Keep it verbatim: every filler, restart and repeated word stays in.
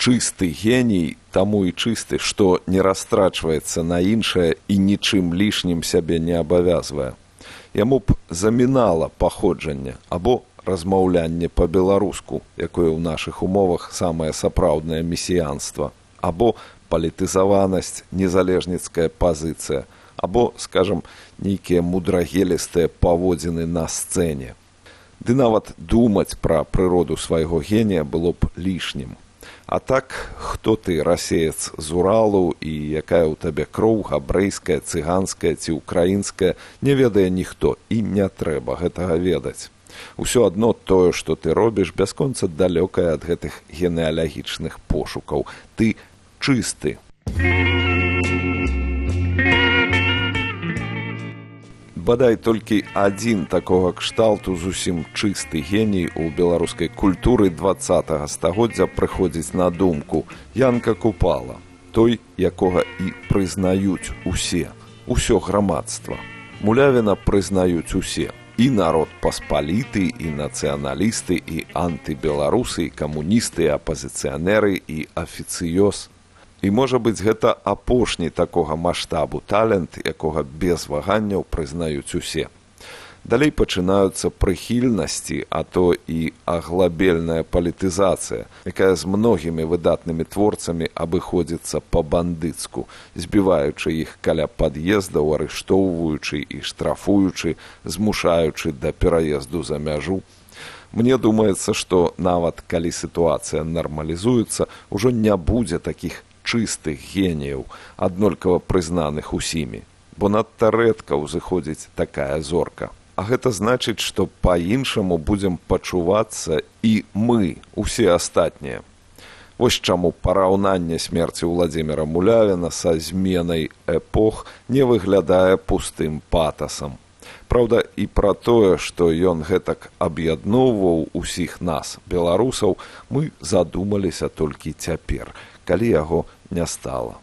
чысты геній, таму і чысты, што не растрачваецца на іншае і нічым лішнім сябе не абавязвае. Яму б замінала паходжанне або размаўлянне па-беларуску, якое ў нашых умовах самае сапраўднае месіянства, або палітызаванасць, незалежніцкая пазіцыя, або, скажам, нейкія мудрагелістыя паводзіны на сцэне. Ды нават думаць пра прыроду свайго генія было б лішнім. А так, хто ты, расеец з Уралу, і якая ў табе кроў, габрэйская, цыганская ці украінская, не ведае ніхто, і не трэба гэтага ведаць. Усё адно тое, што ты робіш, бясконца далёкае ад гэтых генеалагічных пошукаў. Ты чысты. Бадай толькі адзін такога кшталту зусім чысты геній у беларускай культуры дваццатага стагоддзя прыходзіць на думку. Янка Купала, той, якога і прызнаюць усе, усё грамадства. Мулявіна прызнаюць усе. І народ паспаліты, і нацыяналісты, і антыбеларусы, і камуністы, і апазіцыянеры, і афіцыёз. І, можа быць, гэта апошні такога маштабу талент, якога без ваганняў прызнаюць усе. Далей пачынаюцца прыхільнасці, а то і аглабельная палітызацыя, якая з многімі выдатнымі творцамі абыходзіцца па-бандыцку, збіваючы іх каля пад'ездаў, арыштоўваючы і штрафуючы, змушаючы да пераезду за мяжу. Мне думаецца, што нават калі сітуацыя нармалізуецца, ужо не будзе такіх чыстых геніяў, аднолькава прызнаных усімі, бо надта рэдка ўзыходзіць такая зорка. А гэта значыць, што па-іншаму будзем пачувацца і мы, усе астатнія. Вось чаму параўнанне смерці Уладзіміра Мулявіна са зменай эпох не выглядае пустым патасам. Праўда, і пра тое, што ён гэтак аб'ядноўваў усіх нас, беларусаў, мы задумаліся толькі цяпер, калі яго не стала.